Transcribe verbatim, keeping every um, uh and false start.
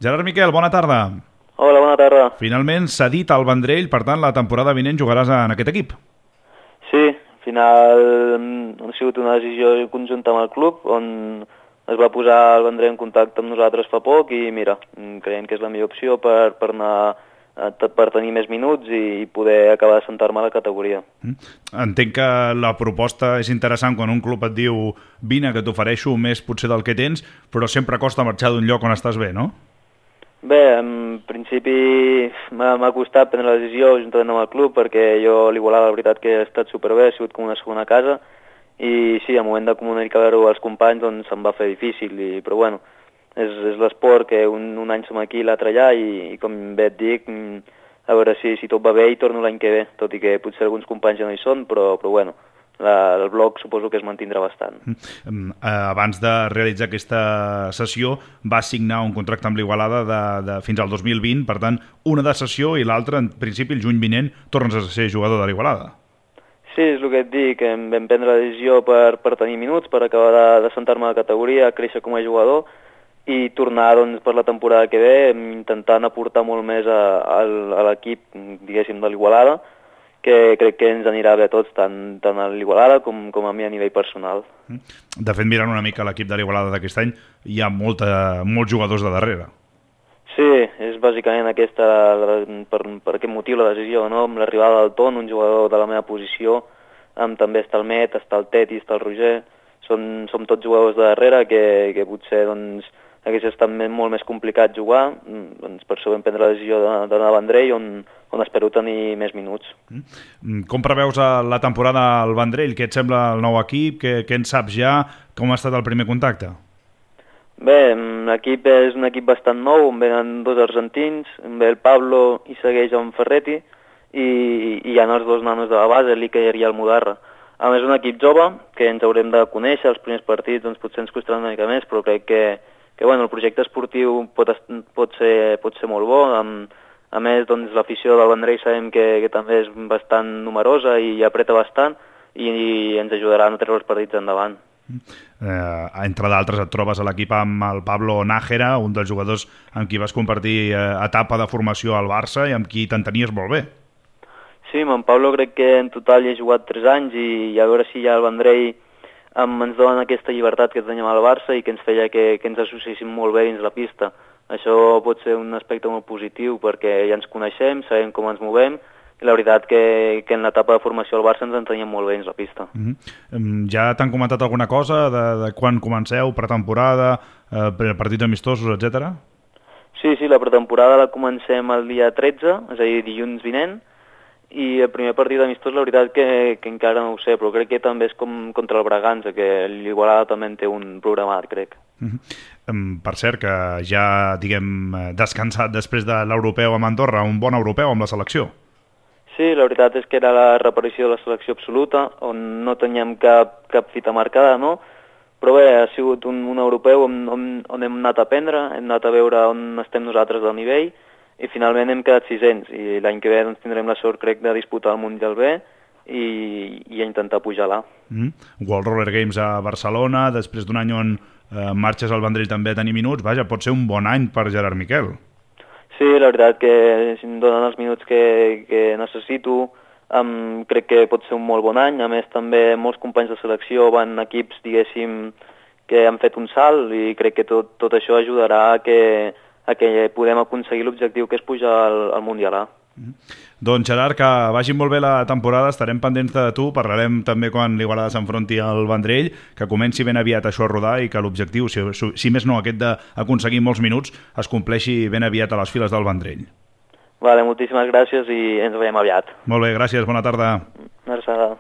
Gerard Miquel, bona tarda. Hola, bona tarda. Finalment s'ha dit al Vendrell, per tant, la temporada vinent jugaràs en aquest equip. Sí, al final ha sigut una decisió conjunta amb el club, on es va posar el Vendrell en contacte amb nosaltres fa poc i mira, creiem que és la millor opció per, per anar per tenir més minuts i poder acabar de sentar-me a la categoria. Entenc que la proposta és interessant quan un club et diu vine que t'ofereixo més potser del que tens, però sempre costa marxar d'un lloc on estàs bé, no? Bé, en principi m'ha costat prendre la decisió juntament amb el club perquè jo a l'Igualada la veritat que he estat superbé, ha sigut com una segona casa i sí, al moment de comunicar-ho als companys doncs se'm va fer difícil, i, però bueno, és, és l'esport que un, un any som aquí i l'altre allà i, i com bé et dic, a veure si, si tot va bé i torno l'any que ve, tot i que potser alguns companys ja no hi són, però, però bueno, la, el bloc suposo que es mantindrà bastant. Mm. Abans de realitzar aquesta sessió vas signar un contracte amb l'Igualada de, de, fins al dos mil vint, per tant, una de sessió i l'altra, en principi, el juny vinent, tornes a ser jugador de l'Igualada. Sí, és el que et dic, em vam prendre la decisió per, per tenir minuts, per acabar de, de sentar-me a la categoria, créixer com a jugador i tornar doncs, per la temporada que ve intentant aportar molt més a, a, a l'equip, diguéssim, de l'Igualada, que crec que ens anirà bé a tots, tant, tant a l'Igualada com, com a mi a nivell personal. De fet, mirant una mica l'equip de l'Igualada d'aquest any, hi ha molta, molts jugadors de darrere. Sí, és bàsicament aquesta, per, per aquest motiu la decisió, no? Amb l'arribada del Ton, un jugador de la meva posició, amb també està el Met, està el Teti, està el Roger, són, som tots jugadors de darrere que, que potser doncs, hagués estat molt més complicat jugar, doncs per això vam prendre la decisió d'anar a Vendrell, on, on espero tenir més minuts. Com preveus la temporada al Vendrell? Què et sembla el nou equip? Què, què en saps ja? Com ha estat el primer contacte? Bé, l'equip és un equip bastant nou, on venen dos argentins, on ve el Pablo i segueix en Ferretti, i, i hi ha els dos nanos de la base, l'Iker i el Mudarra. A més, un equip jove, que ens haurem de conèixer, els primers partits doncs, potser ens costaran una mica més, però crec que, que bueno, el projecte esportiu pot, pot, ser, pot ser molt bo. Amb, a més, doncs, l'afició del Vendrell sabem que, que també és bastant numerosa i apreta bastant, i, i ens ajudarà a no treure els partits endavant. Eh, entre d'altres et trobes a l'equip amb el Pablo Nájera, un dels jugadors amb qui vas compartir eh, etapa de formació al Barça i amb qui t'entenies molt bé. Sí, amb en Pablo crec que en total hi he jugat tres anys i, i a veure si ja el Vendrell amb, ens donen aquesta llibertat que teníem al Barça i que ens feia que, que ens associéssim molt bé dins la pista. Això pot ser un aspecte molt positiu perquè ja ens coneixem, sabem com ens movem, i la veritat que, que en l'etapa de formació al Barça ens enteníem molt bé dins la pista. Mm-hmm. Ja t'han comentat alguna cosa de, de quan comenceu, pretemporada, eh, partits amistosos, etcètera? Sí, sí, la pretemporada la comencem el dia tretze, és a dir, dilluns vinent, i el primer partit amistós la veritat que, que encara no ho sé, però crec que també és com contra el Bragança, que l'Igualada també en té un programat, crec. Mm-hmm. Per cert, que ja, diguem, descansat després de l'europeu amb Andorra, un bon europeu amb la selecció. Sí, la veritat és que era la reparació de la selecció absoluta, on no teníem cap, cap fita marcada, no? Però bé, ha sigut un, un europeu on, on, on hem anat a aprendre, hem anat a veure on estem nosaltres del nivell, i finalment hem quedat sisens, i l'any que ve doncs, tindrem la sort, crec, de disputar el Mundial B i, i a intentar pujar-la. Mm-hmm. World Roller Games a Barcelona, després d'un any on eh, marxes al Vendrell també a tenir minuts, vaja, pot ser un bon any per Gerard Miquel. Sí, la veritat que si em donen els minuts que, que necessito, um, crec que pot ser un molt bon any. A més, també molts companys de selecció van a equips, diguéssim, que han fet un salt i crec que tot, tot això ajudarà a que, a que podem aconseguir l'objectiu que és pujar al, al Mundial A. Mm-hmm. Doncs Gerard, que vagi molt bé la temporada, estarem pendents de tu, parlarem també quan l'Igualada s'enfronti al Vendrell, que comenci ben aviat això a rodar i que l'objectiu, si, si més no aquest d'aconseguir molts minuts, es compleixi ben aviat a les files del Vendrell. Vale, moltíssimes gràcies i ens veiem aviat. Molt bé, gràcies, bona tarda. Una abraçada.